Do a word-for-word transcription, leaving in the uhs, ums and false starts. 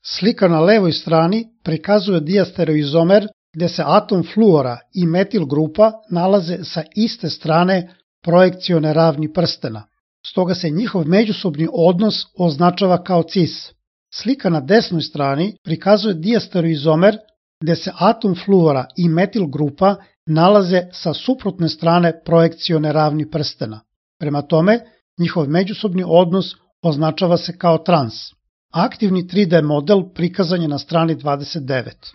Slika na levoj strani prikazuje diastereoizomer gde se atom fluora i metil grupa nalaze sa iste strane projekcione ravni prstena, stoga se njihov međusobni odnos označava kao cis. Slika na desnoj strani prikazuje diastereoizomer gde se atom fluora i metil grupa nalaze sa suprotne strane projekcione ravni prstena. Prema tome, njihov međusobni odnos označava se kao trans. Aktivni tri D model prikazan je na strani dvadeset devet.